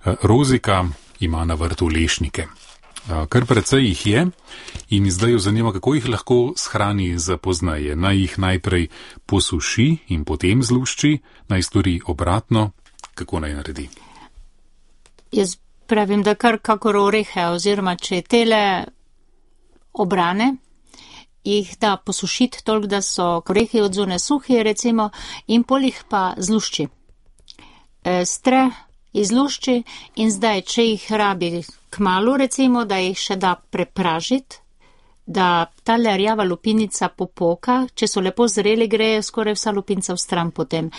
Rozika ima na vrtu lešnike. Kar precej jih je in zdaj jo zanima, kako jih lahko shrani za poznaje. Naj jih najprej posuši in potem zlušči, naj stori obratno, kako naj naredi. Jaz pravim, da kar kakor orehe, oziroma če tele obrane, jih da posušiti toliko, da so orehi od zunaj suhi, recimo, in pol jih pa zlušči. Stre izlušči in zdaj, če jih rabi kmalu, recimo, da jih še da prepražiti, da ta rjava lupinica popoka, če so lepo zreli, gre skoraj vsa lupinca v stran potem.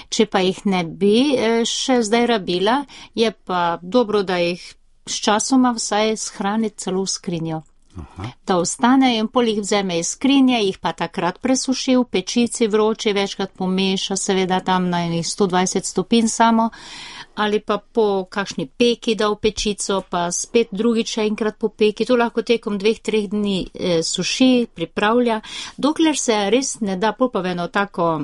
Če pa jih ne bi še zdaj rabila, je pa dobro, da jih s časoma vsaj shraniti celo v skrinjo. Aha. Da ostane in pol jih vzeme iz skrinje, jih pa takrat presuši v pečici vroče, večkrat pomeša, seveda tam na 120 stopinj samo, ali pa po kakšni peki da v pečico, pa spet drugič enkrat po peki. To lahko tekom 2-3 dni suši, pripravlja, dokler se res ne da, pol pa v eno tako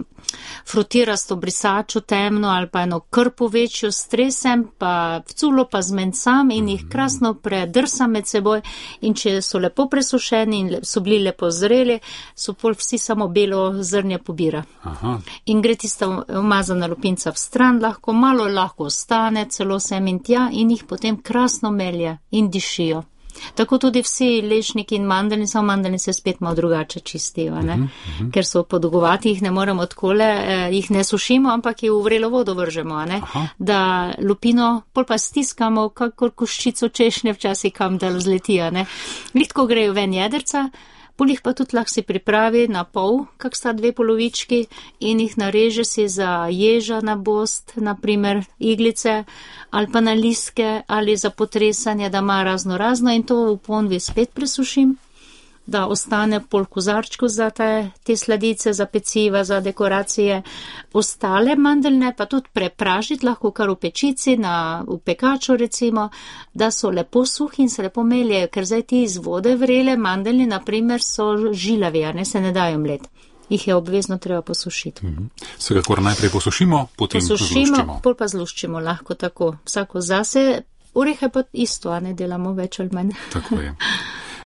frutirasto brisačo temno ali pa eno krpo večjo stresem, pa vculo pa zmencam in jih krasno predrsam med seboj, in če so lepo presušeni in so bili lepo zreli, so pol vsi samo belo zrnje pobira. Aha. In gre tista umazana lupinca v stran, lahko ostane, celo sem in tja, in jih potem krasno melje in dišijo. Tako tudi vsi lešniki in mandeljni, samo mandeljni se spet malo drugače čistijo, ne? Ker so podolgovati, jih ne moremo takole, jih ne sušimo, ampak jih v vrelo vodo vržemo, ne? Da lupino pol pa stiskamo, kakor koščico češnje včasih kam, da zletijo, ne? Litko grejo ven jedrca, pol jih pa tudi lahko si pripravi na pol, kak sta 2 polovički, in jih nareže si za ježa na bost, naprimer iglice, ali pa na listke, ali za potresanje, da ima razno, in to v ponvi spet presušim, da ostane pol kozarčku za te sladice, za peciva, za dekoracije. Ostale mandeljne pa tudi prepražiti lahko kar v pečici, v pekaču recimo, da so lepo suhi in se lepo meljejo, ker zdaj ti iz vode vrele mandeljni, naprimer, so žilavi, ne, se ne dajo mlet. Jih je obvezno treba posušiti. Vsekakor najprej posušimo, potem zluščimo. Pol pa zluščimo, lahko tako, vsako zase. Orehe pa isto, a ne delamo več ali manj. Tako je.